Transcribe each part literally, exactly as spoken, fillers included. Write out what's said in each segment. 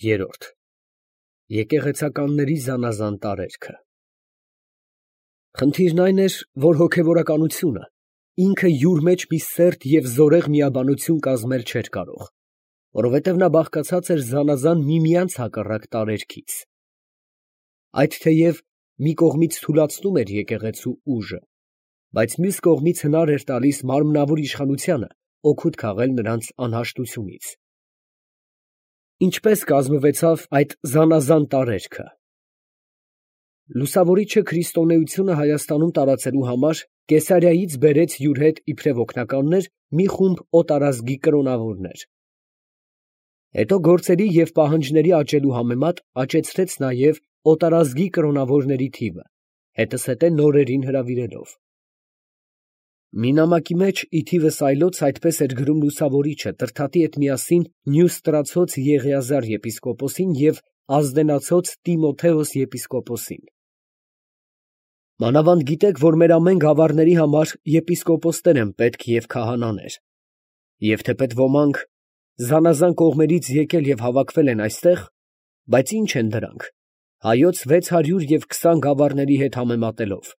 Երորդ Եկեղեցականների զանազան տարերքը։ Խնդիրն այն էր, որ հոգևորականությունը ինքը յուր մեջ մի սերտ և զորեղ միաբանություն կազմել չէր կարող, որովհետև նա բաղկացած էր զանազան միմյանց հակառակ տարերքից. այդ թեև մի կողմից թուլացնում էր եկեղեցու ուժը, բայց մյուս կողմից հնար էր տալիս մարմնավոր իշխանությանը օգուտ քաղել նրանց անհաշտությունից։ Ինչպես կազմվեցավ այդ զանազան տարերքը։ Լուսավորիչը քրիստոնեությունը Հայաստանում տարածելու համար Կեսարիայից բերեց յուր հետ իբրև օգնականներ մի խումբ օտարազգի կրոնավորներ։ Հետո գործերի և պահանջների աճելու համեմատ աճեցրեց նաև օտարազգի կրոնավորների թիվը, հետզհետե նորերին հրավիրելով։ Մի նամակի մեջ ի թիվս այլոց այդպես էր գրում լուսավորիչը Տրդատի հետ միասին Նյուստրացոց Եղիազար եպիսկոպոսին և Ազդենացոց Տիմոթեոս եպիսկոպոսին. Մանավանդ գիտեք, որ մեր ամեն գավառների համար եպիսկոպոսներ են պետք և քահանաներ, և թեպետ ոմանք զանազան կողմերից եկել և հավաքվել են այստեղ, բայց ի՞նչ են դրանք, հայոց վեց հարյուր և քսան գավառների հետ համեմատելով.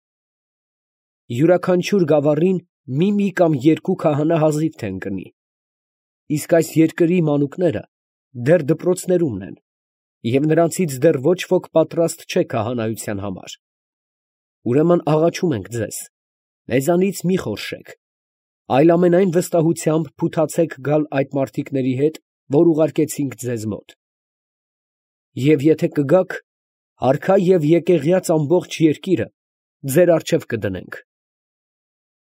յուրաքանչյուր գավառին մի֊մի կամ երկու քահանա հազիվ թե ընկնի, իսկ այս երկրի մանուկները դեռ դպրոցներումն են, և նրանցից դեռ ոչ ոք պատրաստ չէ քահանայության համար. ուրեմն աղաչում ենք ձեզ, մեզանից մի խորշեք, այլ ամենայն վստահությամբ փութացեք գալ այդ մարդիկների հետ, որ ուղարկեցինք ձեզ մոտ. և եթե կգաք, արքա և եկեղյաց ամբողջ երկիրը ձեր առջև կդնենք.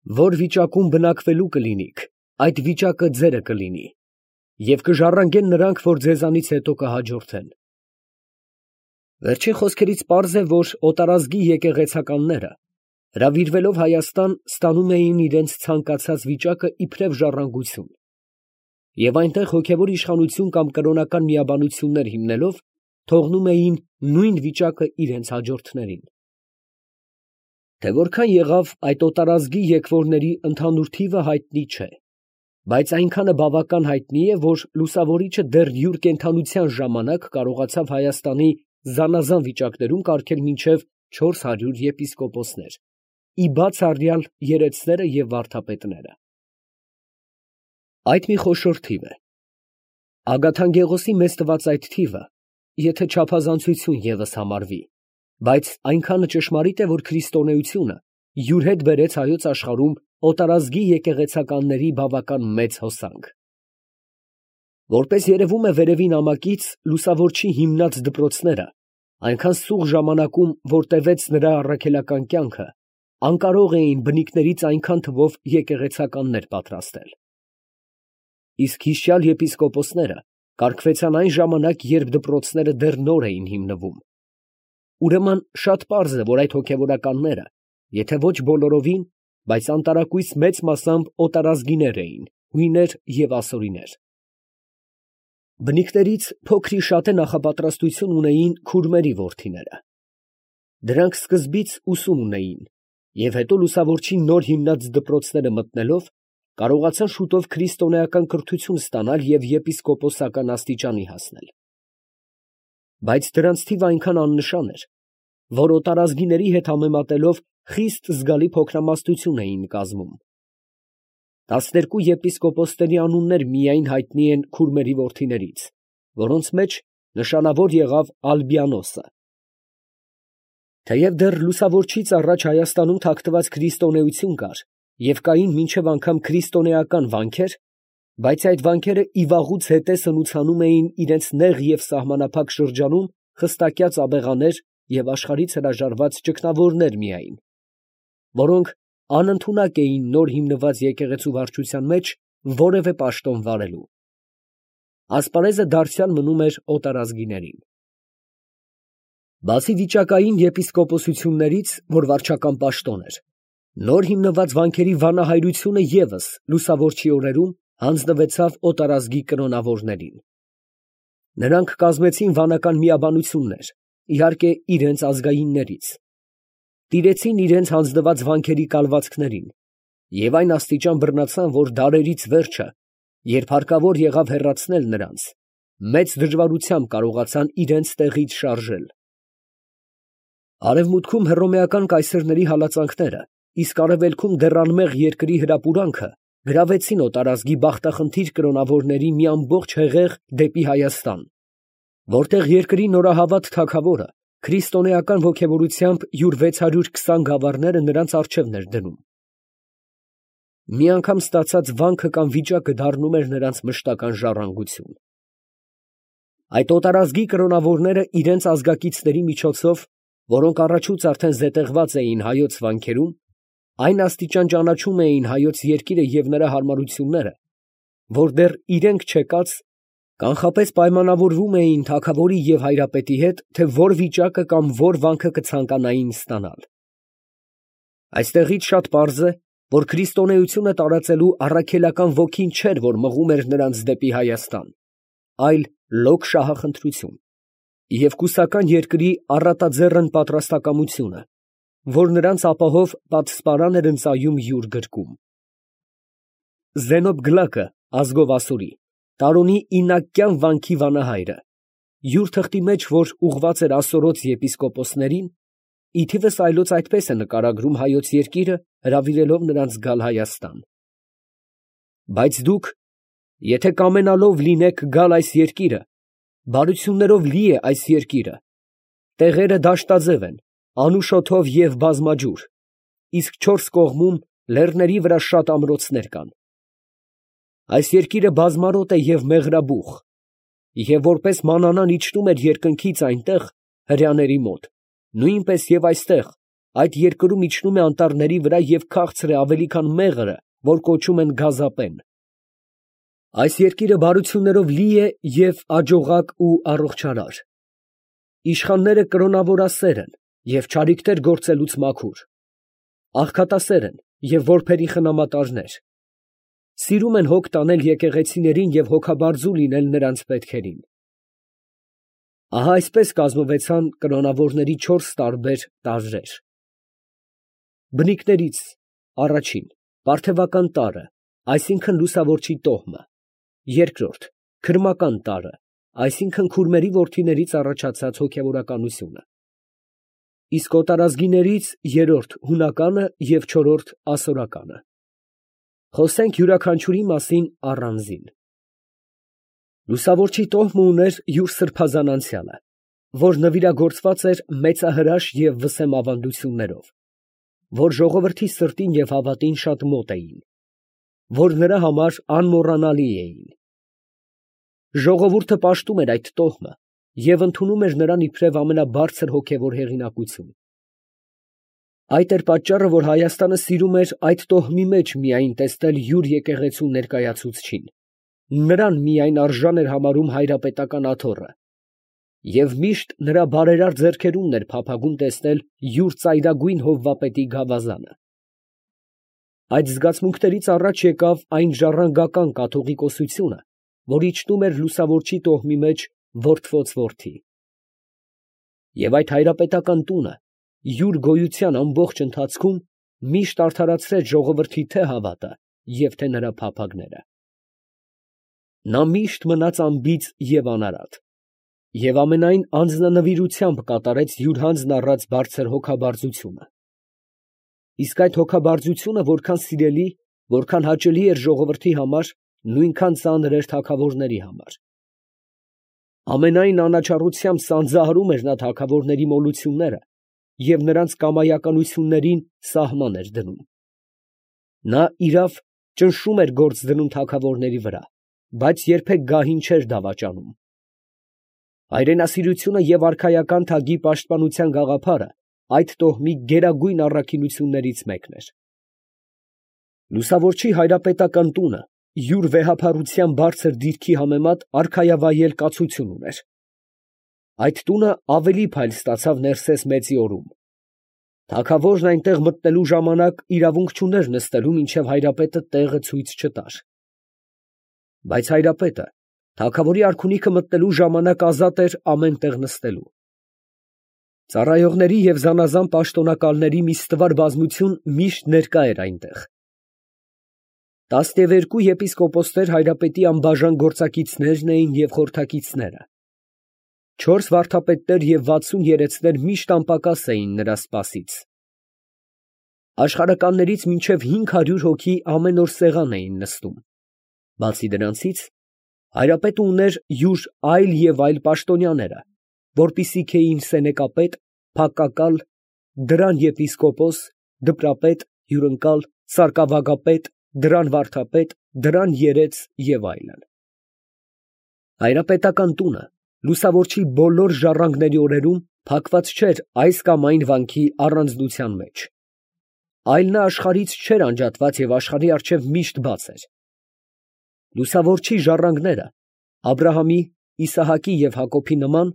որ վիճակում բնակվելու կլինիք, այդ վիճակը ձերը կլինի, և կժառանգեն նրանք, որ ձեզանից հետո կհաջորդեն։ Վերջին խոսքերից պարզ է, որ օտարազգի եկեղեցականները, հրավիրվելով Հայաստան, ստանում էին իրենց ցանկացած վիճակը իբրև ժառանգություն, և այնտեղ հոգևոր իշխանություն կամ կրոնական միաբանություններ հիմնելով, թողնում էին նույն վիճակը իրենց հաջորդներին։ Թե որքան եղավ այդ օտարազգի եկվորների ընդհանուր թիվը հայտնի չէ, բայց այնքանը բավական հայտնի է, որ լուսավորիչը դեռ յուր կենդանության ժամանակ կարողացավ Հայաստանի զանազան վիճակներում կարգել մինչև չորս հարյուր եպիսկոպոսներ, ի բաց առյալ երեցները և վարդապետները։ Այդ մի խոշոր թիվ է։ Ագաթանկեղոսի մեծ տված այդ թիվը, եթե չափազանցություն ևս համարվի, բայց այնքանը ճշմարիտ է, որ քրիստոնեությունը յուր հետ բերեց հայոց աշխարհում օտարազգի եկեղեցականների բավական մեծ հոսանք։ Որպես երևում է վերևի նամակից, լուսավորչի հիմնած դպրոցները այնքան սուղ ժամանակում, որ տևեց նրա առաքելական կյանքը, անկարող էին բնիկներից այնքան թվով եկեղեցականներ պատրաստել։ Իսկ հիշյալ եպիսկոպոսները կարգվեցան այն ժամանակ, երբ դպրոցները դեռ նոր էին հիմնվում։ Ուրեմն շատ պարզ է, որ այդ հոգևորականները, եթե ոչ բոլորովին, բայց անտարակույս մեծ մասամբ օտարազգիներ էին, հույներ և ասորիներ։ Բնիկներից փոքր-ի-շատե նախապատրաստություն ունեին քուրմերի որդիները։ Դրանք սկզբից ուսում ունեին, և հետո լուսավորչի նոր հիմնած դպրոցները մտնելով, կարողացան շուտով քրիստոնեական կրթություն ստանալ և եպիսկոպոսական աստիճանի հասնել։ Բայց դրանց թիվը այնքան աննշան էր, որ օտարազգիների հետ համեմատելով խիստ զգալի փոքրամասնություն էին կազմում։ Տասներկու եպիսկոպոսների անուններ միայն հայտնի են քուրմերի որդիներից, որոնց մեջ նշանավոր եղավ Ալբիանոսը։ Թեև դեռ լուսավորչից առաջ Հայաստանում թաքնված քրիստոնեություն կար և կային մինչև անգամ քրիստոնեական վանքեր, բայց այդ վանքերը ի վաղուց հետե սնուցանում էին իրենց նեղ և սահմանափակ շրջանում խստակյաց աբեղաներ և աշխարհից հրաժարված ճգնավորներ միայն, որոնք անընդունակ էին նոր հիմնված եկեղեցու վարչության մեջ որևէ պաշտոն վարելու։ Ասպարեզը դարձյալ մնում էր օտարազգիներին։ Բացի վիճակային եպիսկոպոսություններից, որ վարչական պաշտոն էր, նոր հիմնված վանքերի վանահայրությունը ևս լուսավորչի օրերում հանձնվեցավ օտարազգի կրոնավորներին։ Նրանք կազմեցին վանական միաբանություններ, իհարկե իրենց ազգայիններից, տիրեցին իրենց հանձնված վանքերի կալվածքներին և այն աստիճան բռնացան, որ դարերից վերջը, երբ հարկավոր եղավ հեռացնել նրանց, մեծ դժվարությամբ կարողացան իրենց տեղից շարժել։ Արևմուտքում հռոմեական կայսերների հալածանքները, իսկ արևելքում դեռ անմեղ երկրի հրապուրանքը գրավեցին օտարազգի բախտախնդիր կրոնավորների մի ամբողջ հեղեղ դեպի Հայաստան, որտեղ երկրի նորահավատ թագավորը քրիստոնեական ոգևորությամբ յուր վեց հարյուր քսան գավառները նրանց առջևն էր դնում։ Մի անգամ ստացած վանքը կամ վիճակը դառնում էր նրանց մշտական ժառանգություն։ Այդ օտարազգի կրոնավորները իրենց ազգակիցների միջոցով, որոնք առաջուց արդեն զետեղված էին հայոց վանքերում, այն աստիճան ճանաչում էին հայոց երկիրը և նրա հարմարությունները, որ դեռ իրենք չեկած, կանխապես պայմանավորվում էին թագավորի և հայրապետի հետ, թե որ վիճակը կամ որ վանքը կցանկանային ստանալ։ Այստեղից շատ պարզ է, որ քրիստոնեությունը տարածելու առաքելական ոգին չէր, որ մղում էր նրանց դեպի Հայաստան, այլ լոկ շահախնդրություն և կուսական երկրի առատաձեռն պատրաստակամությունը, որ նրանց ապահով պատսպարան էր ընծայում յուր գրկում։ Զենոբ Գլակը, ազգով ասորի, Տարոնի ինակյան վանքի վանահայրը, յուր թղթի մեջ, որ ուղված էր ասորոց եպիսկոպոսներին, ի թիվս այլոց այդպես է նկարագրում հայոց երկիրը, հրավիրելով նրանց գալ Հայաստան. «Բայց դուք, եթե կամենալով լինեք գալ այս երկիրը, բարություններով լի է այս երկիրը, տեղերը դաշտաձև են, անուշոթով և բազմաջուր, իսկ չորս կողմում լեռների վրա շատ ամրոցներ կան։ Այս երկիրը բազմարոտ է և մեղրաբուխ, և որպես մանանան իջնում էր երկնքից այնտեղ, հրեաների մոտ, նույնպես և այստեղ, այդ երկրում իջնում է անտառների վրա և քաղցր է ավելի, քան մեղրը, որ կոչում են գազապեն։ Այս երկիրը բարություններով լի է և աջողակ ու առողջարար։ Իշխանները կրոնավորասեր են և չարիքներ գործելուց մաքուր, աղքատասեր են և որբերի խնամատարներ, սիրում են հոգ տանել եկեղեցիներին և հոգաբարձու լինել նրանց պետքերին»։ Ահա այսպես կազմվեցան կրոնավորների չորս տարբեր տարրեր. բնիկներից առաջին՝ պարթևական տարրը, այսինքն լուսավորչի տոհմը, երկրորդ՝ քրմական տարրը, այսինքն քուրմերի որդիներից առաջացած հոգևորականությունը, իսկ օտարազգիներից երրորդ՝ հունականը և չորրորդ՝ ասորականը։ Խոսենք յուրաքանչյուրի մասին առանձին։ Լուսավորչի տոհմը ուներ յուր սրբազան անցյալը, որ նվիրագործված էր մեծահրաշ և վսեմ ավանդություններով, որ ժողովրդի սրտին և հավատին շատ մոտ էին, որ նրա համար անմոռանալի էին։ Ժողովուրդը պաշտում էր այդ տոհմը և ընդունում էր նրան իբրև ամենաբարձր հոգևոր հեղինակություն։ Այդ էր պատճառը, որ Հայաստանը սիրում էր այդ տոհմի մեջ միայն տեսնել յուր եկեղեցու ներկայացուցչին, նրան միայն արժան էր համարում հայրապետական աթոռը, և միշտ նրա բարերար ձեռքերումն էր փափագում տեսնել յուր ծայրագույն հովվապետի գավազանը։ Այդ զգացմունքներից առաջ եկավ այն ժառանգական կաթողիկոսությունը, որ իջնում էր լուսավորչի տոհմի մեջ որդվոց որդի։ Եվ այդ հայրապետական տունը յուր գոյության ամբողջ ընթացքում միշտ արդարացրեց ժողովրդի թե՛ հավատը և թե՛ նրա փափագները։ Նա միշտ մնաց անբիծ և անարատ, և ամենայն անձնանվիրությամբ կատարեց յուր հանձն առած բարձր հոգաբարձությունը։ Իսկ այդ հոգաբարձությունը որքան սիրելի, որքան հաճելի էր ժողովրդի համար, նույնքան ծանր էր թագավորների համար։ Ամենայն անաչառությամբ սանձահարում էր նա թագավորների մոլությունները և նրանց կամայականություններին սահման էր դնում։ Նա, իրավ, ճնշում էր գործ դնում թագավորների վրա, բայց երբեք գահին չէր դավաճանում։ Հայրենասիրությունը և արքայական թագի պաշտպանության գաղափարը այդ տոհմի գերագույն առաքինություններից մեկն էր։ Լուսավորչի հայրապետական տունը յուր վեհափառության բարձր դիրքի համեմատ արքայավայել կացություն ուներ։ Այդ տունը ավելի փայլ ստացավ Ներսես մեծի օրում։ Թագավորն այնտեղ մտնելու ժամանակ իրավունք չուներ նստելու, մինչև հայրապետը տեղը ցույց չտար։ Բայց հայրապետը թագավորի արքունիքը մտնելու ժամանակ ազատ էր ամեն տեղ նստելու։ Ծառայողների և զանազան պաշտոնակալների մի ստվար բազմություն միշտ ներկա էր այնտեղ։ Տասնևերկու եպիսկոպոսներ հայրապետի անբաժան գործակիցներն էին և խորհրդակիցները. չորս վարդապետներ և վաթսուն երեցներ միշտ անպակաս էին նրա սպասից. աշխարհականներից մինչև հինգ հարյուր հոգի ամեն օր սեղան էին նստում. բացի դրանցից, հայրապետը ուներ յուր այլ և այլ պաշտոնյաները, որպիսիք էին սենեկապետ, փակակալ, դրան եպիսկոպոս, դպրապետ, հյուրընկալ, սարկավագապետ, դրան վարդապետ, դրան երեց և այլն։ Հայրապետական տունը լուսավորչի բոլոր ժառանգների օրերում փակված չէր այս կամ այն վանքի առանձնության մեջ, այլ նա աշխարհից չէր անջատված և աշխարհի առջև միշտ բաց էր։ Լուսավորչի ժառանգները Աբրահամի, Իսահակի և Հակոբի նման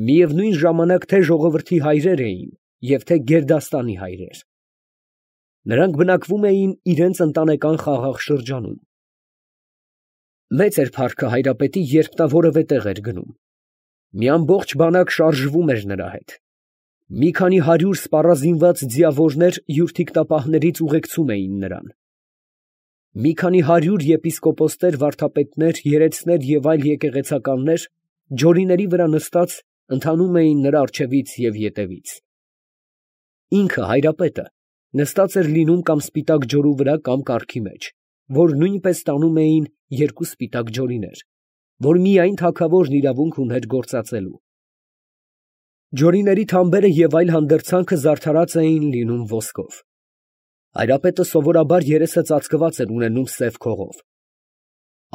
միևնույն ժամանակ թե ժողովրդի հայրեր էին և թե գերդաստանի հայրեր։ Նրանք բնակվում էին իրենց ընտանեկան խաղաղ շրջանում։ Մեծ էր փառքը հայրապետի, երբ նա որևէ տեղ էր գնում։ Մի ամբողջ բանակ շարժվում էր նրա հետ։ Մի քանի հարյուր սպառազինված ձիավորներ յուր թիկնապահներից ուղեկցում էին նրան։ Մի քանի հարյուր եպիսկոպոսներ, վարդապետներ, երեցներ և այլ եկեղեցականներ ջորիների վրա նստած ընթանում էին նրա առջևից և ետևից։ Ինքը հայրապետը նստած էր լինում կամ սպիտակ ջորու վրա կամ կառքի մեջ, որ նույնպես տանում էին երկու սպիտակ ջորիներ, որ միայն թագավորն իրավունք ուներ գործածելու։ Ջորիների թամբերը և այլ հանդերձանքը զարդարած էին լինում ոսկով։ Հայրապետը սովորաբար երեսը ծածկված էր ունենում սև քողով։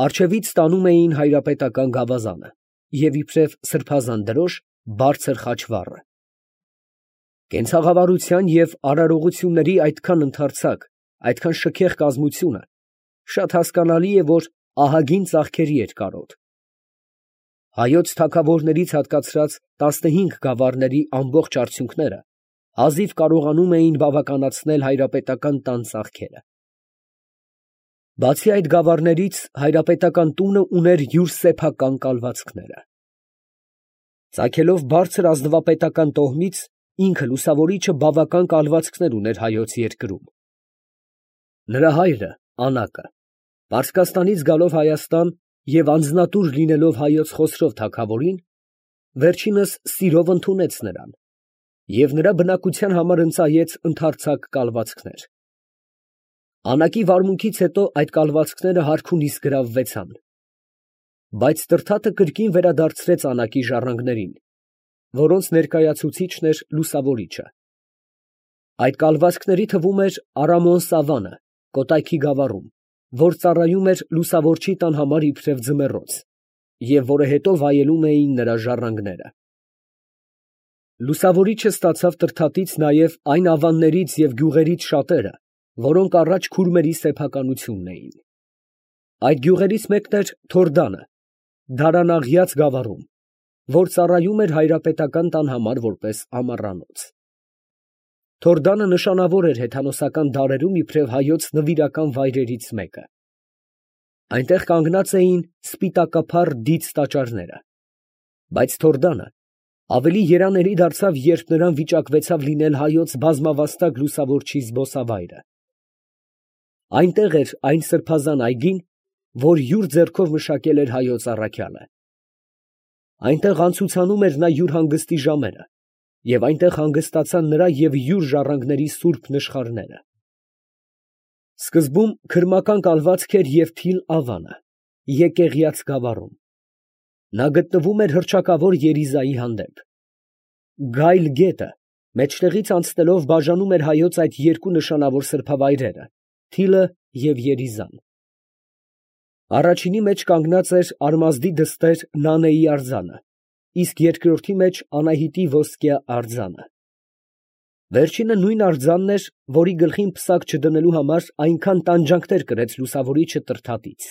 Առջևից տանում էին հայրապետական գավազանը և իբրև սրբազան դրոշ բարձր խաչվառը։ Կենցաղավարության և արարողությունների այդքան ընդարձակ, այդքան շքեղ կազմությունը շատ հասկանալի է, որ ահագին ծախքերի էր կարոտ։ Հայոց թագավորներից հատկացրած տասնհինգ գավառների ամբողջ արդյունքները հազիվ կարողանում էին բավականացնել հայրապետական տան ծախքերը։ Բացի այդ գավառներից հայրապետական տունը ուներ յուր սեփական կալվածքները։ Ծագելով բարձր ազնվապետական տոհմից, ինքը լուսավորիչը բավական կալվածքներ ուներ հայոց երկրում։ Նրա հայրը Անակը, Պարսկաստանից գալով Հայաստան և անձնատուր լինելով հայոց Խոսրով թագավորին, վերջինս սիրով ընդունեց նրան և նրա բնակության համար ընծայեց ընդարձակ կալվածքներ։ Անակի վարմունքից հետո այդ կալվածքները հարքունիս գրավվեցան, բայց Տրդատը կրկին վերադարձրեց Անակի ժառանգներին, որոնց ներկայացուցիչն էր լուսավորիչը։ Այդ կալվածքների թվում էր Արամոն֊Սավանը Կոտայքի գավառում, որ ծառայում էր լուսավորչի տան համար իբրև ձմեռոց, և որը հետո վայելում էին նրա ժառանգները։ Լուսավորիչը ստացավ Տրդատից նաև այն ավաններից և գյուղերից շատերը, որոնք առաջ քուրմերի սեփականությունն էին։ Այդ գյուղերից մեկն էր Թորդանը, Դարանաղյաց գավառում, որ ծառայում էր հայրապետական տան համար որպես ամառանոց։ Թորդանը նշանավոր էր հեթանոսական դարերում իբրև հայոց նվիրական վայրերից մեկը։ Այնտեղ կանգնած էին սպիտակափառ դից տաճարները, բայց Թորդանը ավելի երանելի դարձավ, երբ նրան վիճակվեցավ լինել հայոց բազմավաստակ լուսավորչի զբոսավայրը։ Այնտեղ էր այն սրբազան այգին, որ յուր ձեռքով մշակել էր հայոց առաքյալը։ Այնտեղ անցուցանում էր նա յուր հանգստի ժամերը, և այնտեղ հանգստացան նրա և յուր ժառանգների սուրբ նշխարները։ Սկզբում քրմական կալվածք էր և թիլ ավանը, Եկեղիած գավառում։ Նա գտնվում էր հռչակավոր Երիզայի հանդեպ։ Գայլ գետը մեջտեղից անցնելով բաժանում էր հայոց այդ երկու նշանավոր սրբավայրերը՝ Թիլը և Երիզան։ Առաջինի մեջ կանգնած էր Արմազդի դստեր Նանեի արձանը, իսկ երկրորդի մեջ Անահիտի ոսկյա արձանը։ Վերջինը նույն արձանն էր, որի գլխին պսակ չդնելու համար այնքան տանջանքներ կրեց լուսավորիչը Տրդատից։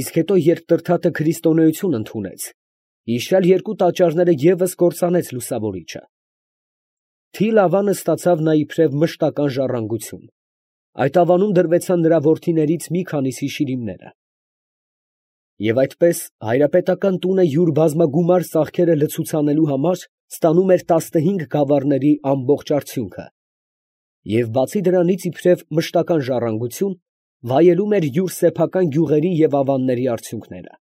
Իսկ հետո, երբ Տրդատը քրիստոնեություն ընդունեց, իշյալ երկու տաճարները ևս կործանեց լուսավորիչը։ Թիլ ավանը ստացավ նա իբրև մշտական ժառանգություն։ Այդ ավանում դրվեցան նրա որդիներից մի քանիսի շիրիմները։ Եվ այդպես հայրապետական տունը յուր բազմագումար ծախքերը լցուցանելու համար ստանում էր տասնհինգ գավառների ամբողջ արդյունքը, և բացի դրանից իբրև մշտական ժառանգություն, վայելում էր յուր սեփական գյուղերի և ավանների արդյունքները։